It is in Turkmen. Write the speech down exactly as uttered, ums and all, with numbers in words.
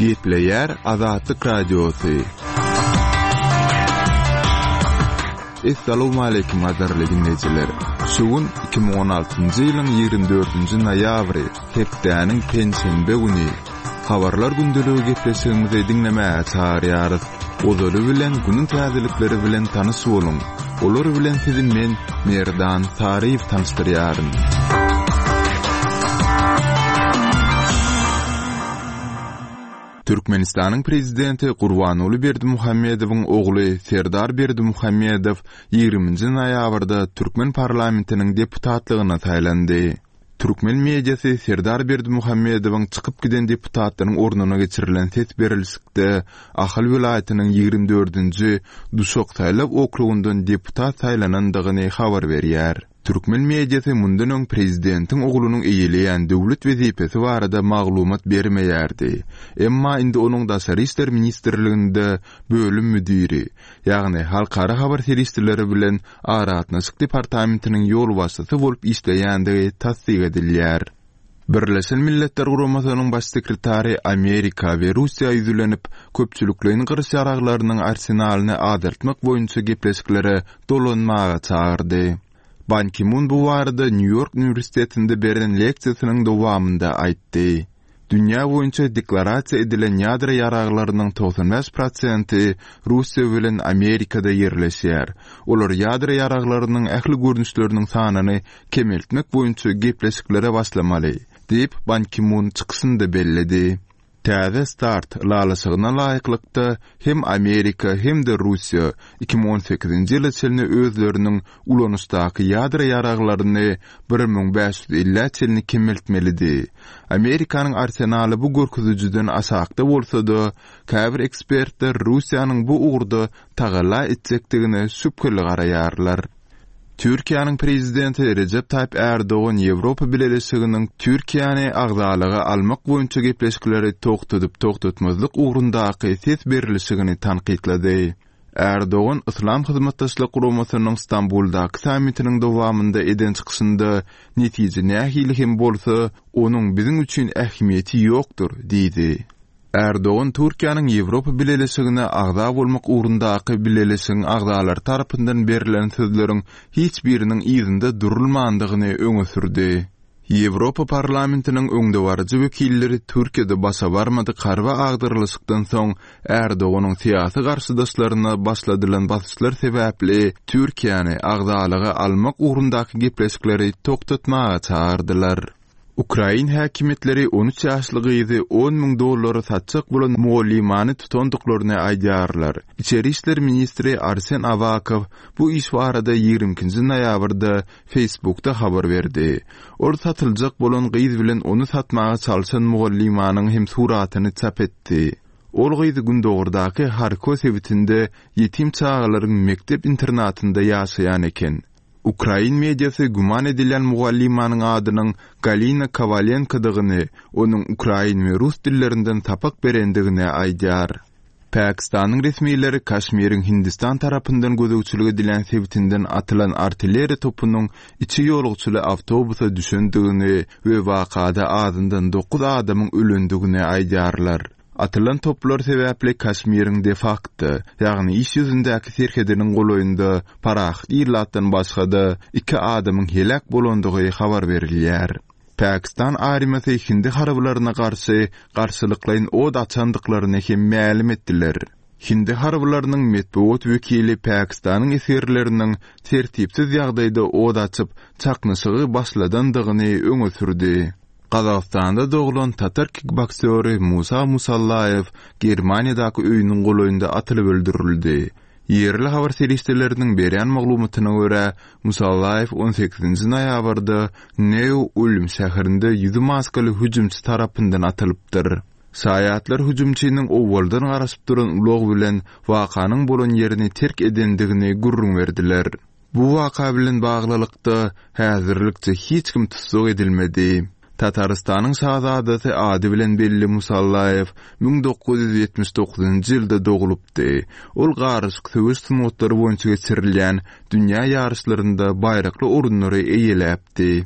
Gepleýär Azatlyk Radiosy. Essalawmaleýkim gadyrly diňleýjiler. Şu gün iki müň on altynjy ýylyň ýigrimi dördünji noýabry, hepdäniň penşenbe güni. Habarlar gündeligi gepleşigimizi diňlemäge çagyrýarys. Ozaly bilen günüň täzelikleri bilen tanyş boluň. Olar bilen sizi men, Merdan Saryýew tanyşdyrýaryn. Türkmenistanyň Prezidenti Gurbanguly Berdimuhamedowyň ogly Serdar Berdimuhamedow ýigriminji noýabrda türkmen parlamentiniň deputatlygyna saýlandy. Türkmen mediasy Serdar Berdimuhamedowyň çykyp giden deputatlaryň ornuna geçirilen ses berilişikde Ahal welaýatynyň ýigrimi dördünji Duşak saýlaw okrugyndan deputat saýlanandygyny habar berýär. Türkmen mediasy mundan öň prezidentiň oglunyň eýeleýän döwlet wezipesi barada maglumat bermeýärdi. Emma indi onuň Daşary işler ministrliginde bölüm müdiri, ýagny Halkara habar serişdeleri bilen aragatnaşyk departamentiniň ýolbaşçysy bolup işleýändigi tassyk edilýär. Birleşen Milletler Guramasynyň baş sekretary Amerika we Russiýa ýüzlenip, köpçülikleýin gyryş ýaraglarynyň arsenalyny azaltmak boýunça gepleşiklere dolanmaga çagyrdy. Ban Ki-mun bu barada Nýu-Ýork uniwersitetinde beren leksiýasynyň dowamynda aýtdy. Dünýä boýunça deklarasiýa edilen ýadro ýaraglarynyň togsan bäş prosenti Russiýa bilen Amerikada ýerleşýär. Olar ýadro ýaraglarynyň ähli görnüşleriniň sanyny kemeltmek boýunça gepleşiklere başlamaly, diýip, Ban Ki-mun çykyşynda belledi. Täze start ylalaşygyna laýyklykda, hem Amerika, hem-de Russiýa iki müň on sekizinji ýyla çenli özleriniň ulanyşdaky ýadro ýaraglaryny bir müň bäş ýüz ellä çenli kemeltmelidi. Amerikanyň arsenaly bu görkezijiden aşakda bolsa-da, käbir ekspertler Russiýanyň bu ugurda tagalla etjekdigine şübheli garaýarlar. Türkiýäniň prezidenti Rejep Taýyp Ärdogan Ýewropa Bileleşiginiň Türkiýäni agzalyga almak boýunça gepleşikleri togtadyp-togtatmazlyk ugrundaky ses berilişigini tankytlady. Ärdogan Yslam Hyzmatdaşlyk Guramasynyň Stambuldaky sammitiniň dowamynda eden çykyşynda netije nähili hem bolsa, onuň biziň üçin ähmiýeti ýokdur diýdi. Ärdogan Türkiýäniň Ýewropa Bileleşigine agza bolmak ugrundaky bileleşigiň agzalary tarapyndan berlen sözleriň hiç biriniň yzynda durulmandygyny öňe sürdi. Ýewropa Parlamentiniň öňdebaryjy wekilleri Türkiýede başa barmadyk harby agdarylyşykdan soň Ärdoganyň syýasy garşydaşlaryna başladylan basyşlar sebäpli Türkiýäni agzalyga almak ugrundaky gepleşikleri togtatmaga çagyrdylar. Ukrain häkimiýetleri on üç ýaşly gyzy on müň dollara satjak bolan mugallymany tutandyklaryny aýdýarlar. Içeri işler ministri Arsen Awakow bu iş barada ýigrimi ikinji noýabrda Facebookda habar berdi. Ol satyljak bolan gyz bilen ony satmaga çalşan mugallymanyň hem suratyny çap etdi. Ol gyz gündogardaky Harko sebitinde ýetim çagalaryň mekdep internatynda ýaşaýan eken. Ukrain mediasy güman edilýän mugallymanyň adynyň Galina Kowalenkodygyny, onuň ukrain we rus dillerinden sapak berendigini aýdýar. Pakistanyň resmileri Kaşmiriň Hindistan tarapyndan gözegçilik edilýän sebitinden atylan artilleriýa topunyň içi ýolagçyly awtobusa düşendigini we wakada azyndan dokuz adamyň ölendigini aýdýarlar. Atylan toplar sebäpli Kaşmiriň de-fakto, ýagny iş ýüzündäki serhediniň golaýynda parahat ilatdan başga-da iki adamyň heläk bolandygy habar berilýär. Pakistan armiýasy hindi harbylaryna garşy garşylyklaýyn od açandyklaryny hem mälim etdiler. Hindi harbylarynyň metbugat wekili Pakistanyň esgerleriniň tertipsiz ýagdaýda od açyp, çaknyşygy başladandygyny öňe sürdi. Gazagystanda doglan tatar kikbokseri Musa Musallaýew Germaniýadaky öýüniň golaýynda atylyp öldürildi. Ýerli habar serişdeleriniň berýän maglumatyna görä, Musallaýew on sekizinji noýabrda Neu-Ulm şäherinde ýüzi maskaly hüjümçi tarapyndan atylypdyr. Şaýatlar hüjümçiniň owaldan garaşyp duran ulag bilen wakanyň bolan ýerini terk edendigini gürrüň berdiler. Bu waka bilen baglylykda, häzirlikçe hiç kim tussag edilmedi. Tatarystanyň şazadasy ady bilen belli Musallaýew müň dokuz ýüz ýetmiş dokuzynjy ýylda doglupdy. Ol garyşyk söweş sungatlary boýunça geçirilýän dünýä ýaryşlarynda baýrakly orunlary eýeläpdi.